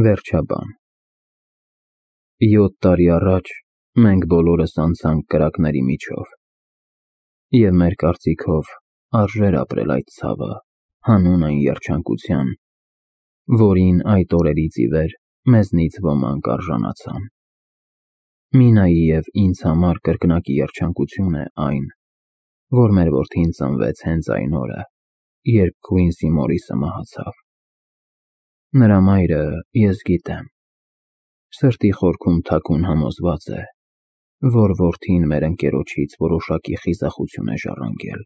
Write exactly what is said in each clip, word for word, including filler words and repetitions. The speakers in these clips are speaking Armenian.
Վերջաբան Յոթ տարի առաջ մենք բոլորս անցանք կրակների միջով, և մեր կարծիքով արժեր ապրել այդ ցավը, հանուն այն երջանկության, որին այդ օրերից ի վեր մեզնից ոմանք արժանացան։ Մինայի և ինձ համար կրկնակի երջանկություն է այն, որ մեր որդին ծնվեց հենց այն օրը, երբ Քուինսի Մորիսը մահացավ։ Նրա մայրը, ես գիտեմ, սրտի խորքում թաքուն համոզված է, որ որդին մեր ընկերոջից որոշակի խիզախություն է ժառանգել։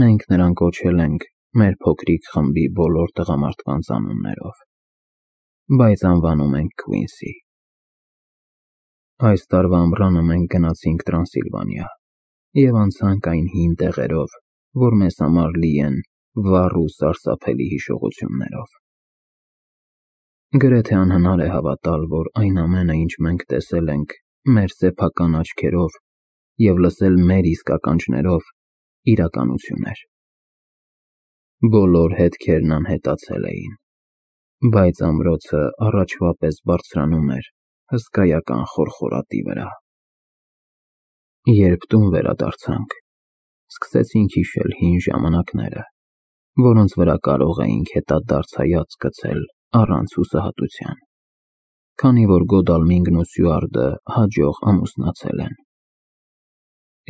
Մենք նրան կոչել ենք մեր փոքրիկ խմբի բոլոր տղամարդկանց անուններով, բայց անվանում ենք Քուինսի։ Այս տարվա ամռանը մենք գնացինք Տրանսիլվանիա և անցանք այն հին տեղերով, որ մեզ համար լի են վառ ու սարսափելի հիշողություններով։ Գրեթե անհնար է հավատալ, որ այն ամենը, ինչ մենք տեսել ենք մեր սեփական աչքերով և լսել մեր իսկական շներով, իրականություն էր։ Բոլոր հետքերն անհետացել էին, բայց ամրոցը առաջվա պես բարձրանում էր հսկայական խորխորատի վրա։ Երբ տուն վերադարձանք, սկսեցինք հիշել հին ժամանակները, որոնց վրա կարող էինք հետադարձ հայացք գցել առանց հուսահատության, քանի որ Գոդալմինգն ու Սյուարտը հաջող ամուսնացել են։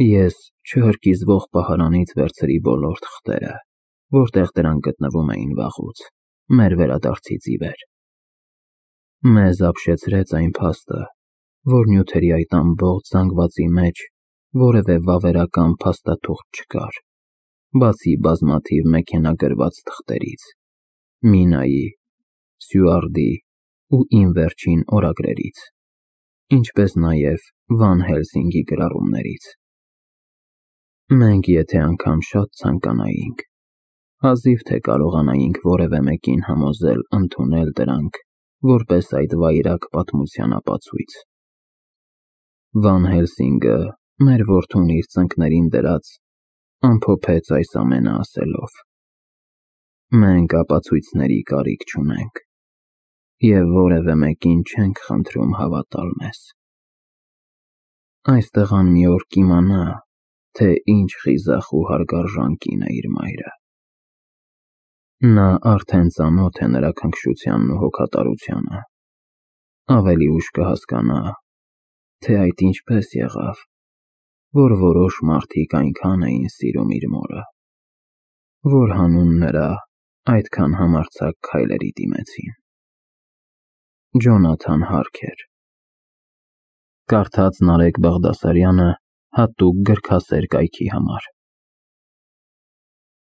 Ես չհրկիզվող պահարանից վերցրի բոլոր թղթերը, որտեղ դրանք գտնվում էին վաղուց, մեր վերադարձից ի վեր։ Մեզ ապշեցրեց այն փաստը, որ նյութերի այդ ամբողջ զանգվածի մեջ որևէ վավերական փաստաթուղթ չկար, բացի բազմաթիվ մեքենագրված թղթերից, Մինայի, Սյուարտի ու իմ վերջին օրագրերից, ինչպես նաև Վան Հելսինգի գրառումներից։ Մենք եթե անգամ շատ ցանկանայինք, հազիվ թե կարողանայինք որևէ մեկին համոզել ընդունել դրանք որպես այդ վայրագ պատմության ապացույց։ Վան Հելսինգը, մեր որդուն իր ծնկներին դրած, ամփոփեց այս ամենը ասելով. «Մենք ապացույցների կարիք չունենք և որևէ մեկին չենք խնդրում հավատալ մեզ։ Այս տղան մի օր կիմանա, թե ինչ խիզախ ու հարգարժան կին է իր մայրը։ Նա արդեն ծանոթ է նրա քնքշությանն ու հոգատարությանը, ավելի ուշ կհասկանա, թե այդ ինչպես եղավ, որ որոշ մարդիկ այնքան էին սիրում իր մորը, որ հանուն նրա այդքան համարձակ քայլերի դիմեցին»։ Ջոնաթան Հարքեր։ Կարդաց Նարեկ Բաղդասարյանը հատուկ գրքասեր կայքի համար։